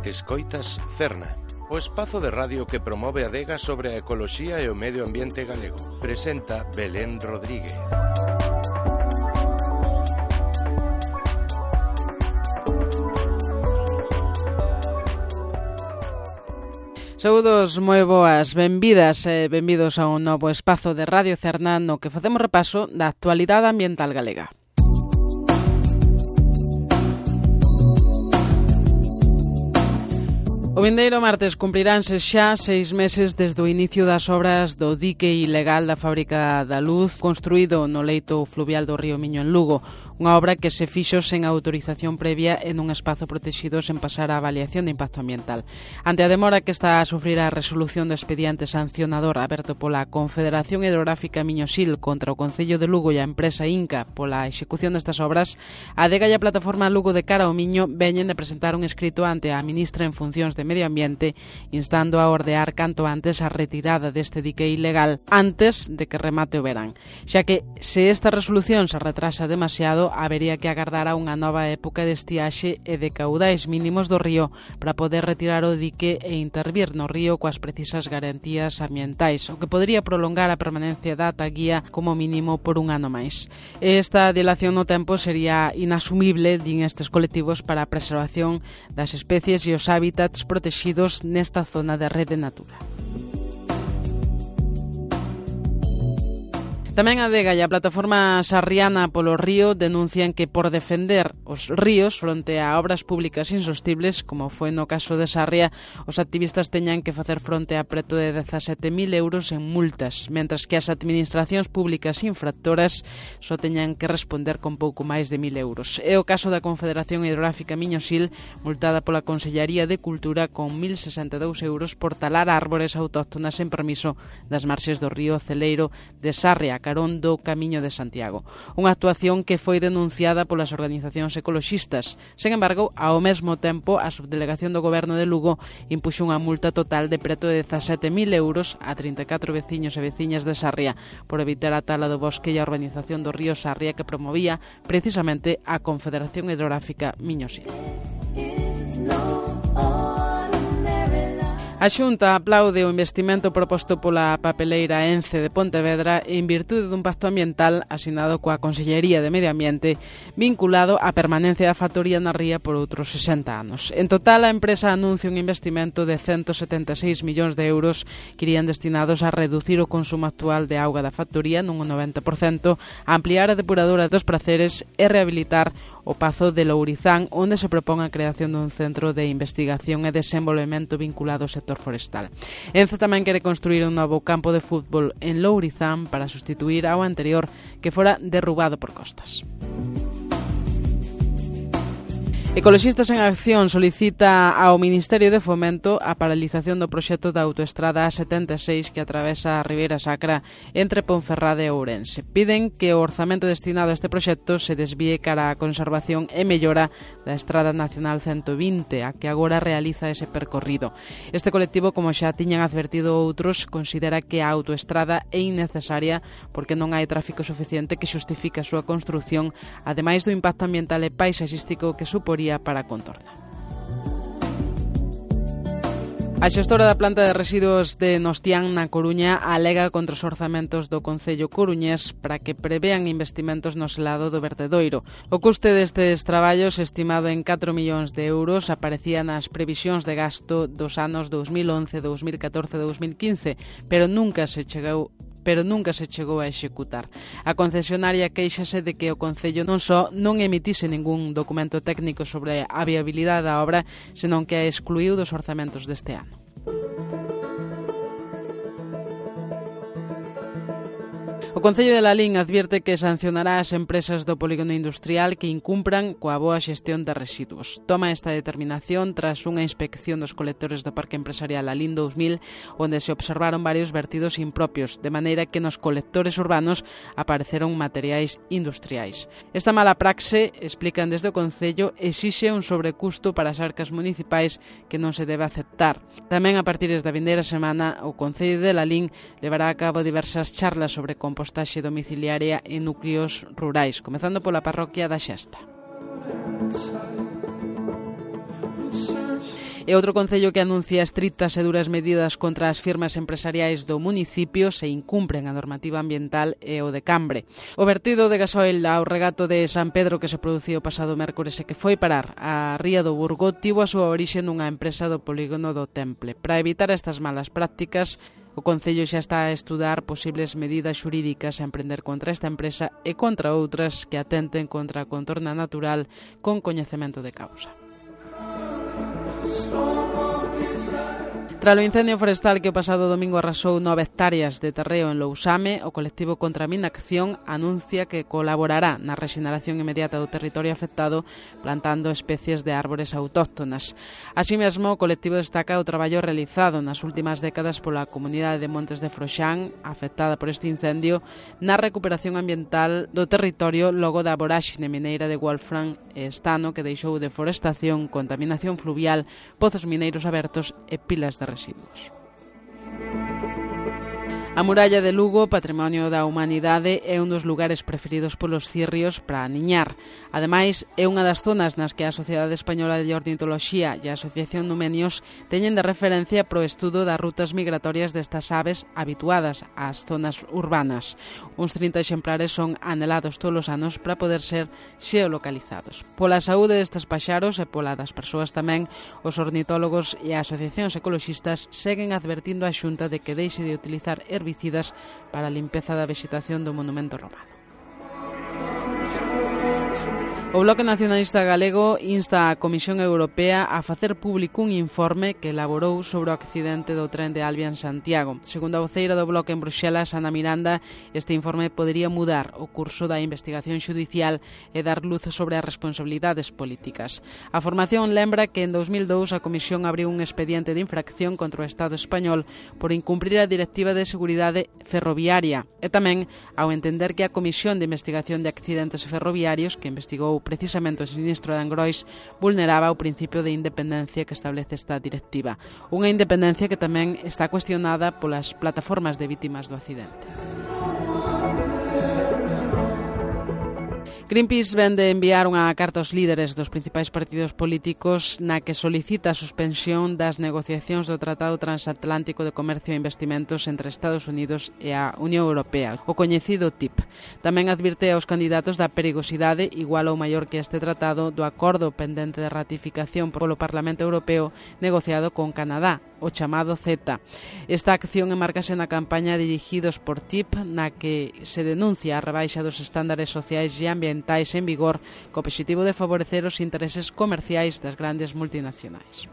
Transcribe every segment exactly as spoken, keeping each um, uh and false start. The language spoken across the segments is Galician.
Escoitas Cerna, o espazo de radio que promove a adega sobre a ecoloxía e o medio ambiente galego. Presenta Belén Rodríguez. Saúdos moi boas, benvidas e benvidos a un novo espazo de Radio Cerna no que facemos repaso da actualidade ambiental galega. O vindeiro martes cumpriránse xa seis meses desde o inicio das obras do dique ilegal da Fábrica da Luz construído no leito fluvial do río Miño en Lugo, unha obra que se fixo sen autorización previa en un espazo protegido sen pasar a avaliación de impacto ambiental. Ante a demora que está a sufrir a resolución do expediente sancionador aberto pola Confederación Hidrográfica Miño-Sil contra o Concello de Lugo e a empresa Inca pola execución destas obras, a adega e a plataforma Lugo de Cara ao Miño veñen de presentar un escrito ante a ministra en funcións de Medio Ambiente instando a ordear canto antes a retirada deste dique ilegal antes de que remate o verán, xa que se esta resolución se retrasa demasiado habería que agardar a unha nova época de estiaxe e de caudais mínimos do río para poder retirar o dique e intervir no río coas precisas garantías ambientais, o que podría prolongar a permanencia da ata guía como mínimo por un ano máis. Esta dilación no tempo sería inasumible, din estes colectivos, para a preservación das especies e os hábitats protegidos nesta zona de rede Natura. Tamén a adega e a plataforma Sarriana polo río denuncian que por defender os ríos fronte a obras públicas insostibles, como foi no caso de Sarria, os activistas teñan que facer fronte a preto de dezasete mil euros en multas, mentras que as administracións públicas infractoras só teñan que responder con pouco máis de mil euros. É o caso da Confederación Hidrográfica Miño-Sil, multada pola Consellería de Cultura con mil sesenta e dous euros por talar árbores autóctonas sen permiso das marxes do río Celeiro de Sarria, carón do Camiño de Santiago. Unha actuación que foi denunciada polas organizacións ecoloxistas. Sen embargo, ao mesmo tempo, a subdelegación do Goberno de Lugo impuxo unha multa total de preto de dezasete mil euros a trinta e catro veciños e veciñas de Sarria por evitar a tala do bosque e a urbanización do río Sarria que promovía precisamente a Confederación Hidrográfica Miño-Sil. A Xunta aplaude o investimento proposto pola papeleira Ence de Pontevedra en virtude dun pacto ambiental asinado coa Consellería de Medio Ambiente vinculado á permanencia da factoría na ría por outros sesenta anos. En total, a empresa anuncia un investimento de ciento setenta e seis millóns de euros que irían destinados a reducir o consumo actual de auga da factoría nun noventa por cento, a ampliar a depuradora dos Praceres e rehabilitar o Pazo de Lourizán, onde se propón a creación dun centro de investigación e desenvolvemento vinculado ao sector forestal. Ence tamén quere construir un novo campo de fútbol en Lourizán para sustituir ao anterior que fora derrubado por Costas. Ecoloxistas en Acción solicita ao Ministerio de Fomento a paralización do proxecto da autoestrada A setenta e seis que atravesa a Ribeira Sacra entre Ponferrada e Ourense. Piden que o orzamento destinado a este proxecto se desvíe cara á conservación e mellora da Estrada Nacional ciento vinte, a que agora realiza ese percorrido. Este colectivo, como xa tiñan advertido outros, considera que a autoestrada é innecesaria porque non hai tráfico suficiente que xustifique a súa construción, ademais do impacto ambiental e paisaxístico que suporía para a contorna. A xestora da planta de residuos de Nostián na Coruña alega contra os orzamentos do Concello coruñés para que prevean investimentos no selado do vertedoiro. O custe destes traballos, estimado en catro millóns de euros, aparecía nas previsións de gasto dos anos dous mil once, dous mil catorce e dous mil quince, pero nunca se chegou pero nunca se chegou a executar. A concesionaria queixase de que o Concello non só non emitise ningún documento técnico sobre a viabilidade da obra, senón que a excluiu dos orzamentos deste ano. O Concello de Lalín advierte que sancionará as empresas do polígono industrial que incumpran coa boa xestión de residuos. Toma esta determinación tras unha inspección dos colectores do Parque Empresarial Lalín dous mil, onde se observaron varios vertidos impropios, de maneira que nos colectores urbanos apareceron materiais industriais. Esta mala praxe, explican desde o Concello, exixe un sobrecusto para as arcas municipais que non se debe aceptar. Tamén a partir da vindeira semana, o Concello de Lalín levará a cabo diversas charlas sobre compostaxe domiciliaria en núcleos rurais, comezando pola parroquia da Xesta. E outro concello que anuncia estrictas e duras medidas contra as firmas empresariais do municipio se incumpren a normativa ambiental é o de Cambre. O vertido de gasoil ao regato de San Pedro que se produciu o pasado mércores e que foi parar a Ría do Burgo tivo a súa orixe nunha empresa do polígono do Temple. Para evitar estas malas prácticas, o Concello xa está a estudar posibles medidas xurídicas a emprender contra esta empresa e contra outras que atenten contra a contorna natural con coñecemento de causa. Tras o incendio forestal que o pasado domingo arrasou nove hectáreas de terreo en Lousame, o colectivo Contra a Minacción anuncia que colaborará na rexeneración inmediata do territorio afectado plantando especies de árbores autóctonas. Así mesmo, o colectivo destaca o traballo realizado nas últimas décadas pola comunidade de Montes de Froxán, afectada por este incendio, na recuperación ambiental do territorio logo da voráxine mineira de Wolfram e estano que deixou deforestación, contaminación fluvial, pozos mineiros abertos e pilas de residuos. A muralla de Lugo, patrimonio da humanidade, é un dos lugares preferidos polos cirrios para aniñar. Ademais, é unha das zonas nas que a Sociedade Española de Ornitoloxía e a Asociación Numenios teñen de referencia pro estudo das rutas migratorias destas aves habituadas ás zonas urbanas. Uns trinta exemplares son anelados todos os anos para poder ser xeolocalizados. Pola saúde destes paxaros e pola das persoas tamén, os ornitólogos e as asociacións ecoloxistas seguen advertindo a Xunta de que deixe de utilizar herbicidas para a limpeza da vegetación do monumento romano. O Bloque Nacionalista Galego insta a Comisión Europea a facer público un informe que elaborou sobre o accidente do tren de Alvia en Santiago. Segundo a voceira do Bloque en Bruxelas, Ana Miranda, este informe podería mudar o curso da investigación xudicial e dar luz sobre as responsabilidades políticas. A formación lembra que en dos mil dous a Comisión abriu un expediente de infracción contra o Estado español por incumprir a Directiva de Seguridade Ferroviaria e tamén ao entender que a Comisión de Investigación de Accidentes Ferroviarios, que investigou precisamente o sinistro de Angrois, vulneraba o principio de independencia que establece esta directiva. Unha independencia que tamén está cuestionada polas plataformas de vítimas do accidente. Greenpeace ven de enviar unha carta aos líderes dos principais partidos políticos na que solicita a suspensión das negociacións do Tratado Transatlántico de Comercio e Investimentos entre Estados Unidos e a Unión Europea, o coñecido T I P. Tamén advirte aos candidatos da perigosidade, igual ou maior que este tratado, do acordo pendente de ratificación polo Parlamento Europeo negociado con Canadá, o chamado CETA. Esta acción enmarcase na campaña dirigidos por T I P, na que se denuncia a rebaixa dos estándares sociais e ambientais en vigor co obxectivo de favorecer os intereses comerciais das grandes multinacionais.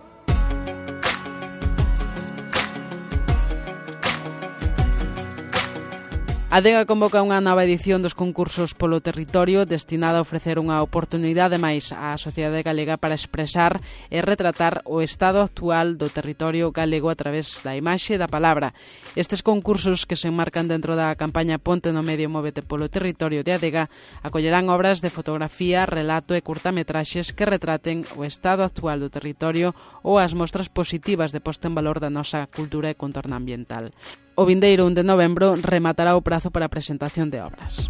A Adega convoca unha nova edición dos concursos polo territorio destinada a ofrecer unha oportunidade máis á sociedade galega para expresar e retratar o estado actual do territorio galego a través da imaxe e da palabra. Estes concursos, que se enmarcan dentro da campaña Ponte no Medio Móvete polo Territorio de Adega, acollerán obras de fotografía, relato e curtametraxes que retraten o estado actual do territorio ou as mostras positivas de posta en valor da nosa cultura e contorna ambiental. O vindeiro un de novembro rematará o prazo para a presentación de obras.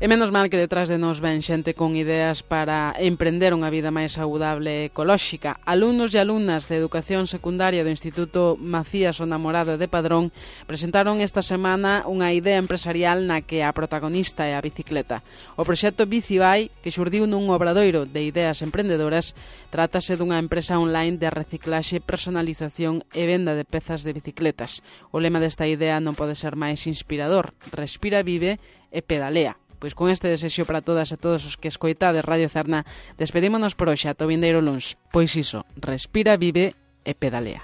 E menos mal que detrás de nós ven xente con ideas para emprender unha vida máis saudable e ecolóxica. Alumnos e alumnas de educación secundaria do Instituto Macías o Namorado de Padrón presentaron esta semana unha idea empresarial na que a protagonista é a bicicleta. O proxecto Bicibai, que xurdiu nun obradoiro de ideas emprendedoras, trátase dunha empresa online de reciclaxe, personalización e venda de pezas de bicicletas. O lema desta idea non pode ser máis inspirador: respira, vive e pedalea. Pois con este desexo para todas e todos os que escoitades Radio Cerna, despedímonos por hoxe ata o vindeiro luns. Pois iso, respira, vive e pedalea.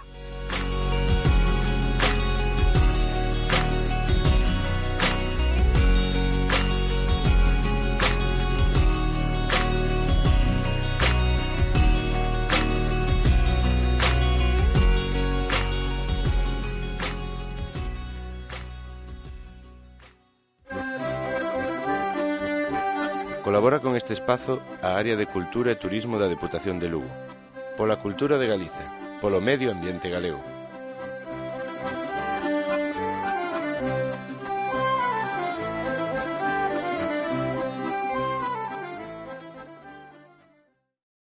Colabora con este espazo a Área de Cultura e Turismo da Deputación de Lugo. Pola cultura de Galicia, polo medio ambiente galego.